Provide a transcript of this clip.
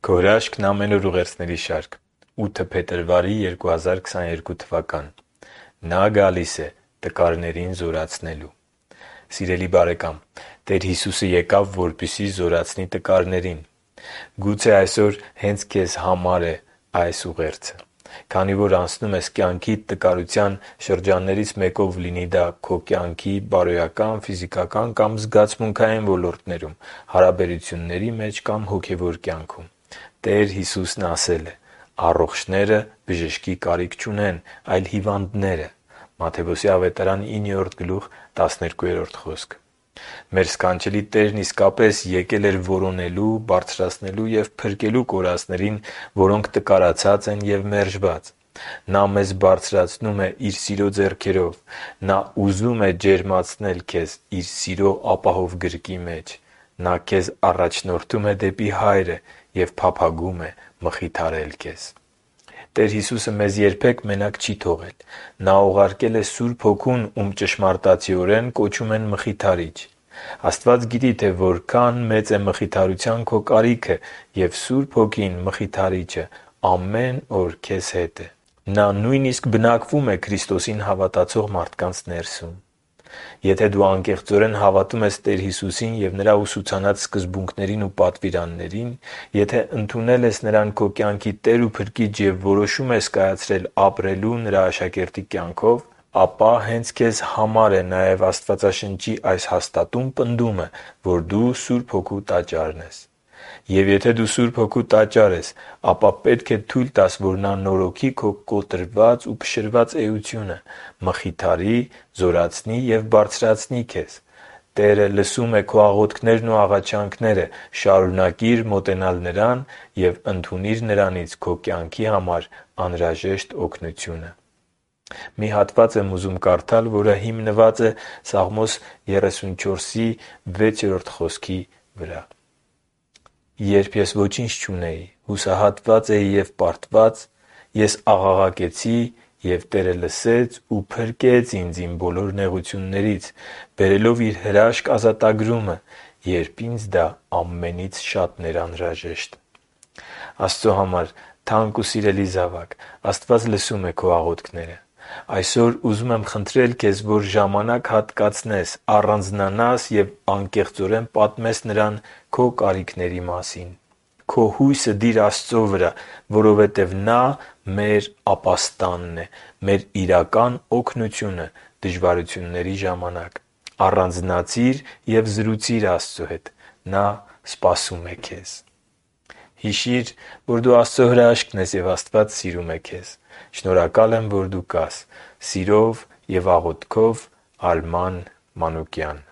Քո հրաշքն ամեն օր ուղերձների շարք։ 8 փետրվարի 2022 թվական։ Նա գալիս է տկարներին զորացնելու։ Սիրելի բարեկամ, Տեր Հիսուսը եկավ, որպեսզի զորացնի տկարներին։ Գուցե այսօր հենց քեզ համար է այս ուղերձը, քանի որ անցնում ես կյանքիդ տկարության շրջաններից մեկով, լինի դա քո կյանքի բարոյական, ֆիզիկական կամ զգացմունքային ոլորտներում, հարաբերությունների մեջ կամ հոգևոր կյանքում։ Տեր Հիսուսն ասել է. «Առողջները բժշկի կարիք չունեն, այլ հիվանդները» Մատթեոս 9:12 խոսքը։ Մեր սքանչելի Տերն իսկապես եկել էր որոնելու, բարձրացնելու և փրկելու կորածներին, որոնք տկարացած են և մերժված։ Նա մեզ բարձրացնում է Իր սիրո ձեռքերով։ Նա ուզում է ջերմացնել քեզ Իր սիրո ապահով գրկի մեջ։ Նա քեզ առաջնորդում է դեպի Հայրը և փափագում է մխիթարել քեզ։ Տեր Հիսուսը մեզ երբեք մենակ չի թողել։ Նա ուղարկել է Սուրբ Հոգուն, ում ճշմարտացիորեն կոչում են Մխիթարիչ։ Աստված գիտի, թե որքան մեծ է մխիթարության քո կարիքը, և Սուրբ Հոգին, Մխիթարիչը, ամեն օր քեզ հետ է։ Նա նույնիսկ բնակվում է Քրիստոսին հավատացող մարդկանց ներսում։ Եթե դու անկեղծորեն հավատում ես Տեր Հիսուսին և Նրա ուսուցանած սկզբունքներին ու պատվիրաններին, եթե ընդունել ես Նրան քո կյանքի Տեր ու Փրկիչ և որոշում ես կայացրել ապրելու Նրա աշակերտի կյանքով, ապա հենց քեզ համար է նաև Աստվածաշնչի այս հաստատուն պնդումը, որ դու Սուրբ Հոգու Տաճարն ես։ Եվ եթե դու Սուրբ Հոգու Տաճար ես, ապա պետք է թույլ տաս, որ Նա նորոգի քո կոտրված ու փշրված էությունը, մխիթարի, զորացնի և բարձրացնի քեզ։ Տերը լսում է քո աղոթքներն ու աղաչանքները։ Շարունակի՛ր մոտենալ Նրան և ընդունի՛ր Նրանից քո կյանքի համար անհրաժեշտ օգնությունը։ Մի հատված եմ ուզում կարդալ, որը հիմնված է Սաղմոս 34:6 խոսքի վրա. «Երբ ես ոչինչ չունեի, հուսահատված էի և պարտված, ես աղաղակեցի, և Տերը լսեց ու փրկեց ինձ իմ բոլոր նեղություններից, բերելով Իր հրաշք ազատագրումը, երբ ինձ դա ամենից շատ էր անհրաժեշտ»։ Աստծո համար թանկ ու սիրելի զավակ, Աստված լսում է քո աղոթքները։ Այսօր ուզում եմ խնդրել քեզ, որ ժամանակ հատկացնես, առանձնանաս և անկեղծորեն պատմես Նրան քո կարիքների մասին։ Քո հույսը դի՛ր Աստծո վրա, որովհետև Նա մեր ապաստանն է, մեր իրական օգնությունը դժվարությունների ժամանակ։ Առանձնացի՛ր և զրուցի՛ր Աստծո հետ։ Նա սպասում է քեզ։ Հիշի՛ր, որ դու Աստծո հրաշքն ես, և Աստված սիրում է քեզ։ Շնորհակալ եմ, որ դու կաս։ Սիրով և աղոթքով, Արման Մանուկյան։